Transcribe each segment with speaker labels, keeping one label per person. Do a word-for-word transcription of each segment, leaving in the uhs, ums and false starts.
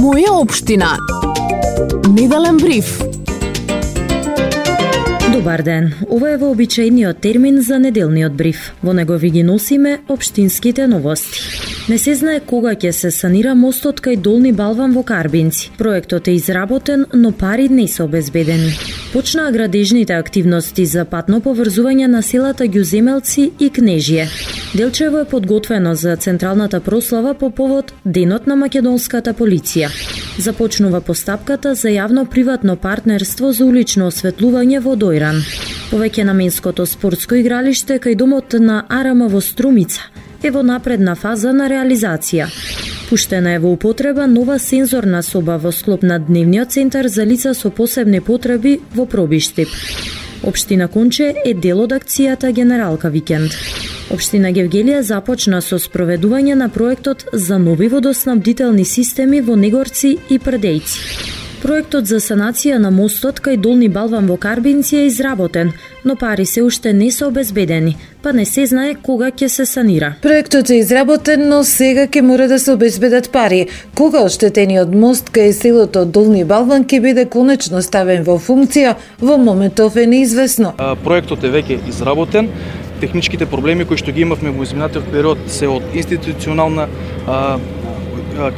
Speaker 1: Моја општина. Неделен бриф.
Speaker 2: Добар ден. Ова е вообичаениот термин за неделниот бриф. Во него ви ги носиме општинските новости. Не се знае кога ќе се санира мостот кај Долни Балван во Карбинци. Проектот е изработен, но пари не се обезбедени. Почнаа градежните активности за патно поврзување на селата Ѓуземелци и Кнежие. Делчево е подготвено за централната прослава по повод Денот на македонската полиција. Започнува постапката за јавно-приватно партнерство за улично осветлување во Дојран. Повеќе наменското спортско игралиште кај домот на Арама во Струмица е во напредна фаза на реализација. Пуштена е во употреба нова сензорна соба во склоп на Дневниот центар за лица со посебни потреби во Пробиштип. Општина Конче е дел од акцијата Генералка викенд. Општина Гевгелија започна со спроведување на проектот за нови водоснабдителни системи во Негорци и Прдејци. Проектот за санација на мостот кај Долни Балван во Карбинци е изработен, но пари се уште не се обезбедени, па не се знае кога ќе се санира.
Speaker 3: Проектот е изработен, но сега ќе мора да се обезбедат пари. Кога оштетениот мост кај селото Долни Балван ќе биде конечно ставен во функција, во моментов е неизвестно.
Speaker 4: А, проектот е веќе изработен. Техничките проблеми кои што ги имавме во изминатиот период се од институционална а,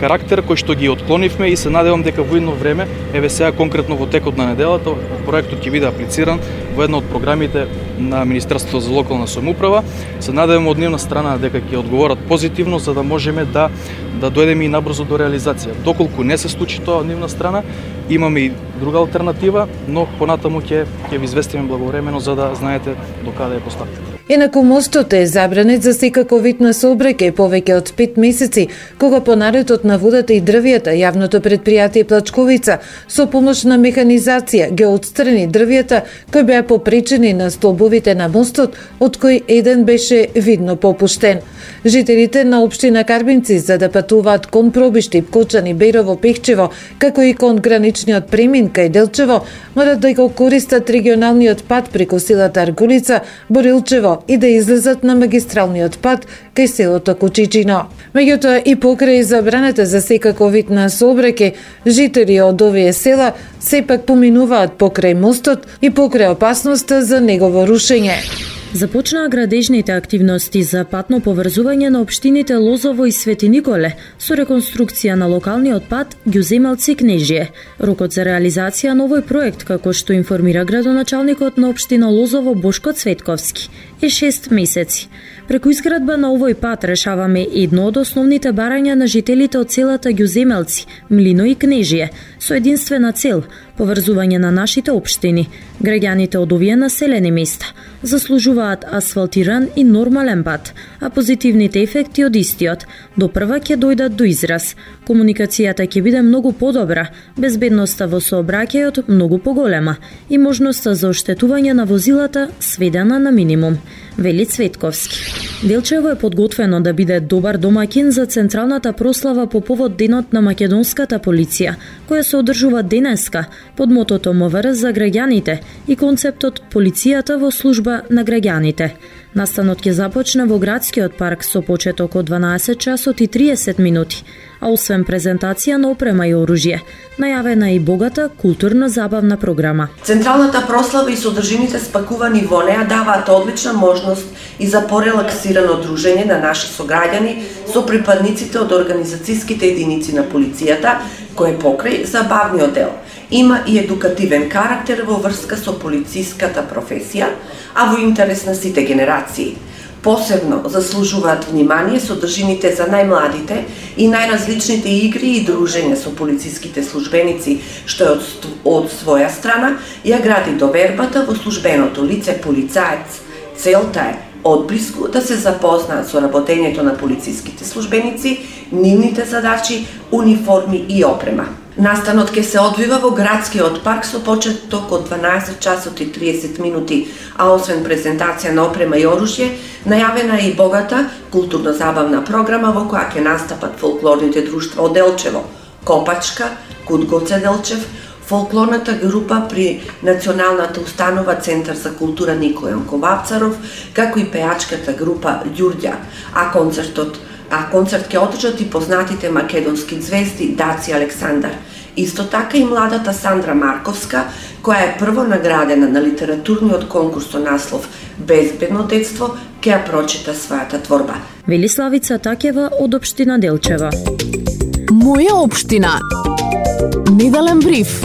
Speaker 4: карактер кој што ги отклонивме и се надевам дека во едно време, еве сега конкретно во текот на неделата, проектот ќе биде аплициран во една од програмите на Министерството за локална самоуправа. Се надевам од нивна страна дека ќе одговорат позитивно за да можеме да да дојдеме и набрзо до реализација. Доколку не се случи тоа од нивна страна, имаме и друга алтернатива, но понатаму ќе ќе ви известиме благовремено за да знаете до каде е постапката.
Speaker 3: Инаку мостот е забранет за секако вид на сообраќај повеќе од пет месеци, кога по наредот на водата и дрвијата јавното предпријатие Плачковица со помош на механизација ги отстрани дрвијата кои беа попречени на столбовите на мостот, од кои еден беше видно попуштен. Жителите на општина Карбинци за да патуваат кон Пробиштип, Кочани, Бејрово, Пехчево, како и кон граничниот премин кај Делчево, морат да го користат регионалниот пат преку селата Аргулица, Борилчево и да излезат на магистралниот пат кај селото Кучичино. Меѓутоа и покрај забраната за секако вид на сообраќај, жители од овие села сепак поминуваат покрај мостот и покрај опасноста за негово рушење.
Speaker 2: Започнаа градежните активности за патно поврзување на општините Лозово и Свети Николе со реконструкција на локалниот пат Ѓуземелци Кнежие. Рокот за реализација на овој проект, како што информира градоначалникот на општина Лозово Бошко Цветковски, е шест месеци. Преку изградба на овој пат решаваме едно од основните барања на жителите од селата Ѓуземелци, Млино и Кнежие, со единствена цел – поврзување на нашите општини. Граѓаните од овие населени места заслужуваат асфалтиран и нормален пат, а позитивните ефекти од истиот до прва ќе дојдат до израз. Комуникацијата ќе биде многу подобра, безбедноста во сообраќајот многу поголема и можноста за оштетување на возилата сведена на минимум, вели Цветковски. Делчево е подготвено да биде добар домаќин за централната прослава по повод Денот на македонската полиција, која се одржува денеска под мотото МВР за граѓаните и концептот Полицијата во служба на граѓаните. Настанот ќе започне во градскиот парк со почеток од дванаесет часот и триесет минути, а освен презентација на опрема и оружје, најавена и богата културно-забавна програма.
Speaker 5: Централната прослава и содржините спакувани во неа даваат одлична можност и за порелаксирано дружење на наши сограѓани со припадниците од организацијските единици на полицијата, кој покрај забавниот дел има и едукативен карактер во врска со полициската професија, а во интерес на сите генерации. Посебно заслужуваат внимание содржините за најмладите и најразличните игри и дружења со полициските службеници, што е од, од своја страна ја гради довербата во службеното лице полицаец. Целта е одблиску да се запознаат со работењето на полициските службеници, нивните задачи, униформи и опрема. Настанот ќе се одвива во градскиот парк со почеток од дванаесет часот и триесет минути, а освен презентација на опрема и оружје, најавена е и богата културно-забавна програма во која ќе настапат фолклорните друштва од Делчево, Копачка, Кут Гоце Делчев, фолклорната група при Националната установа Центар за култура Никој Јанко Вапцаров, како и пејачката група Ѓурѓа, а концертот а концерт ќе одржат и познатите македонски звезди Даци Александар. Исто така и младата Сандра Марковска, која е прво наградена на литературниот конкурс со наслов Безбедно детство, ќе ја прочита својата творба.
Speaker 2: Велиславица Такева од општина Делчева.
Speaker 1: Моја општина. Неделен бриф.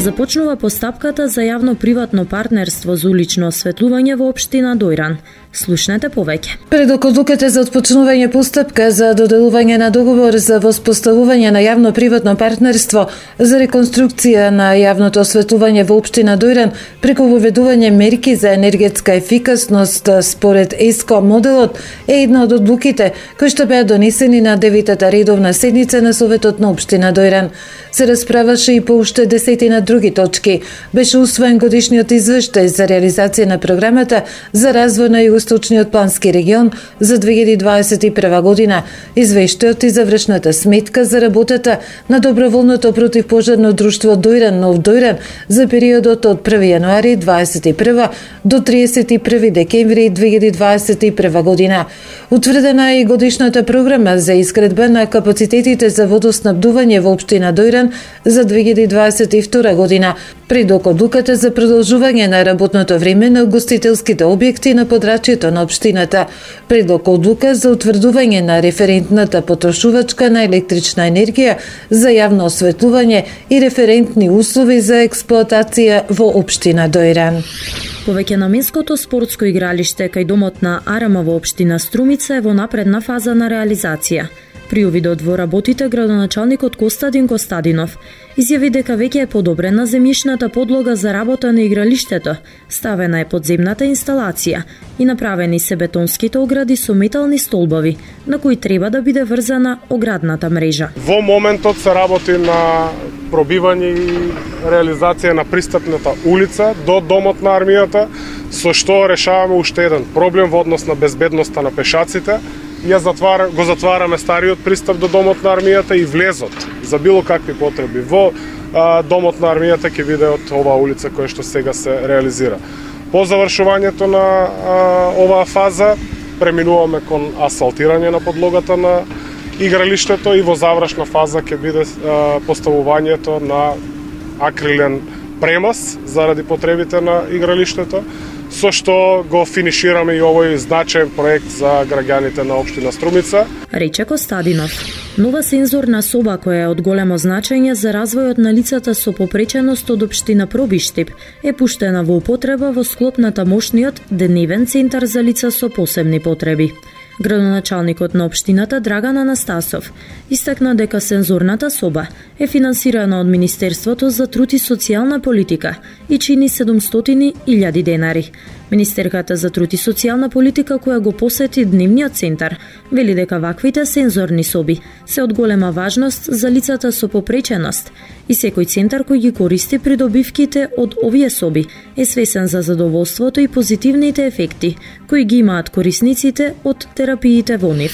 Speaker 2: Започнува постапката за јавно-приватно партнерство за улично осветлување во општина Дојран. Слушнете повеќе.
Speaker 3: Пред одлуката за отпочнување постапка за доделување на договор за воспоставување на јавно-приватно партнерство за реконструкција на јавното осветлување во општина Дојран преку воведување мерки за енергетска ефикасност според ЕСКО моделот е една од одлуките кои што беа донесени на деветата редовна седница на Советот на општина Дојран. Се расправаше и по уште десетина други точки. Беше усвоен годишниот извештај за реализација на програмата за развој на Југоисточниот плански регион за две илјади дваесет и прва година, извештајот и завршната сметка за работата на доброволното противпожарно друштво Дојран Нов Дојран за периодот од први јануари дваесет и прва до триесет и први декември две илјади дваесет и прва година. Утврдена е и годишната програма за изградба на капацитетите за водоснабдување во општина Дојран за две илјади дваесет и втора година, пред одлуката за продолжување на работното време на угостителските објекти на подрачјето на општината, предлог одлука за утврдување на референтната потрошувачка на електрична енергија за јавно осветлување и референтни услови за експлоатација во општина Дојран.
Speaker 2: Повеќе наменското спортско игралиште кај домот на Арама во општина Струмица е во напредна фаза на реализација. При увидот во работите, градоначалникот Костадин Костадинов изјави дека веќе е подобрена земјишната подлога за работа на игралиштето, ставена е подземната инсталација и направени се бетонските огради со метални столбови, на кои треба да биде врзана оградната мрежа.
Speaker 6: Во моментот се работи на пробивање и реализација на пристапната улица до домот на армијата, со што решаваме уште еден проблем во однос на безбедноста на пешаците. Ја затвар, го затвараме стариот пристап до домот на армијата и влезот за било какви потреби во а, домот на армијата ќе биде од оваа улица која што сега се реализира. По завршувањето на а, оваа фаза преминуваме кон асфалтирање на подлогата на игралиштето и во завршна фаза ќе биде а, поставувањето на акрилен премаз заради потребите на игралиштето, со што го финишираме и овој значаен проект за граѓаните на општина Струмица.
Speaker 2: Рече Костадинов. Нова сензорна соба која е од големо значење за развојот на лицата со попреченост од општина Пробиштип е пуштена во употреба во склоп на тамошниот дневен центар за лица со посебни потреби. Градоначалникот на општината Драган Анастасов истакна дека сензорната соба е финансирана од Министерството за труд и социјална политика и чини седумстотини илјади денари. Министерката за труд и социјална политика која го посети дневниот центар вели дека ваквите сензорни соби се од голема важност за лицата со попреченост и секој центар кој ги користи придобивките од овие соби е свесен за задоволството и позитивните ефекти кои ги имаат корисниците од терапиите во нив.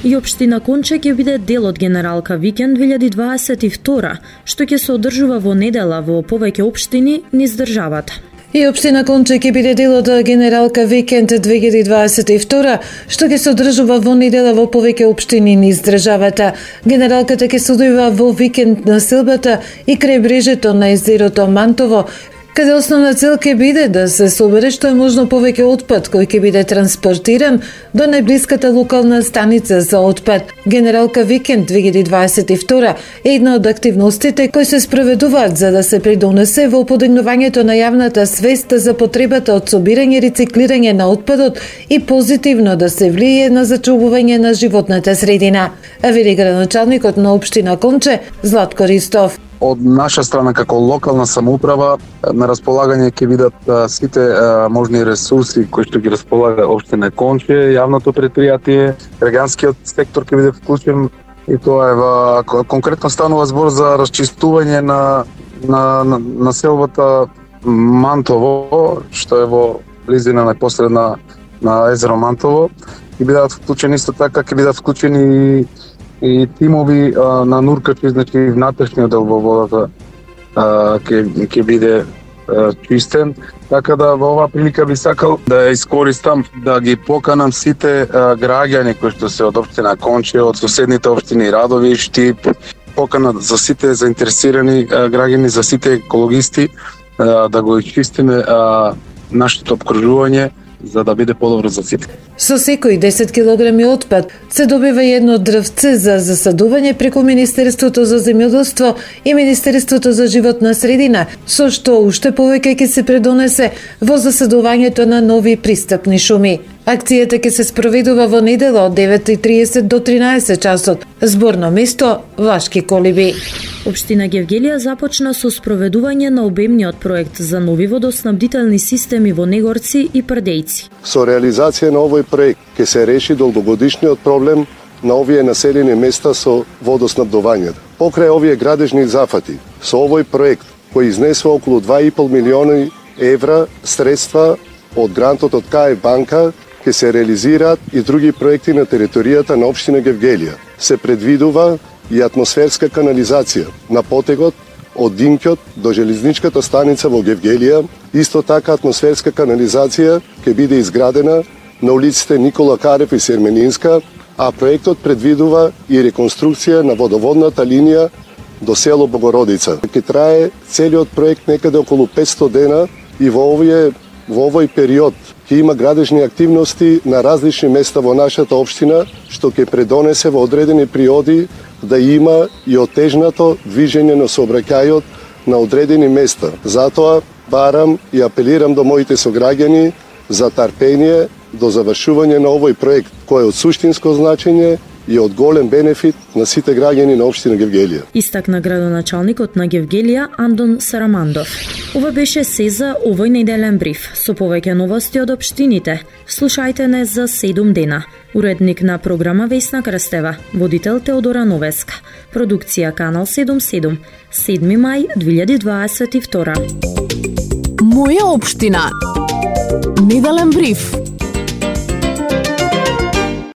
Speaker 2: И општина Конче ќе биде дел од Генералка Викенд две илјади дваесет и втора, што ќе се одржува во недела во повеќе општини низ државата.
Speaker 3: И општина Конче ќе биде дел од Генералка Викенд две илјади дваесет и втора, што ќе се одржува во недела во повеќе општини низ државата. Генералката ќе се одвива во викенд на селбата и крај брежето на езерото Мантово, каде основна цел ќе биде да се собере што е можно повеќе отпад кој ќе биде транспортиран до најблиската локална станица за отпад. Генералка Викенд две илјади дваесет и втора е една од активностите кои се спроведуваат за да се придонесе во подигнувањето на јавната свест за потребата од собирање и рециклирање на отпадот и позитивно да се влие на зачувување на животната средина. А вели градоначалникот на општина Конче Златко Ристов.
Speaker 7: Од наша страна како локална самоуправа на располагање ќе бидат а, сите а, можни ресурси кои што ги располага општина Конче, јавното предпријатие, граѓанскиот сектор ќе биде вклучен и тоа е во конкретно станува збор за расчистување на на, на населбата Мантово, што е во близина непосредна на езеро Мантово, и бидат вклучени исто така ќе бидат вклучени и тимови а, на нуркачи, значи внатрешниот дел во водата а, ќе ќе биде чистен, така да во оваа прилика би сакал да ја искористам да ги поканам сите граѓани кои што се од општина Конче, од соседните општини Радови, Штип, покана за сите заинтересирани граѓани, за сите екологисти да го чистиме нашето обкружување за да биде подобро за сите.
Speaker 3: Со секој десет килограми отпад се добива едно дрвце за засадување преку Министерството за земјоделство и Министерството за животна средина, со што уште повеќе ќе се предонесе во засадувањето на нови пристапни шуми. Акцијата ќе се спроведува во недела од девет и триесет до тринаесет часот. Зборно место Вашки колиби.
Speaker 2: Општина Гевгелија започна со спроведување на обемниот проект за нови водоснабдителни системи во Негорци и Прдејци.
Speaker 8: Со реализација на овој проект ќе се реши долгогодишниот проблем на овие населени места со водоснабдувањето. Покрај овие градежни зафати, со овој проект кој изнесува околу два и пол милиони евра средства од грантот од КаЕ банка, ќе се реализираат и други проекти на територијата на општина Гевгелија. Се предвидува и атмосферска канализација на потегот од Динкјот до железничката станица во Гевгелија. Исто така атмосферска канализација ќе биде изградена на улиците Никола Карев и Серменинска, а проектот предвидува и реконструкција на водоводната линија до село Богородица. Ќе трае целиот проект некаде околу петсто дена и во овие во овој период ќе има градежни активности на различни места во нашата општина, што ќе предонесе во одредени периоди да има и отежнато движење на сообраќајот на одредени места. Затоа барам и апелирам до моите сограѓани за трпение до завршување на овој проект, кој е од суштинско значење и од голем бенефит на сите граѓани на општина Гевгелија.
Speaker 2: Истакна градоначалникот на Гевгелија Андон Сарамандов. Ова беше се за овој неделен бриф. Со повеќе новости од општините, слушајте не за седум дена. Уредник на програма Весна Крстева, водител Теодора Новеска. Продукција Канал седумдесет и седум, седми мај две илјади дваесет и втора.
Speaker 1: Моја општина. Неделен бриф.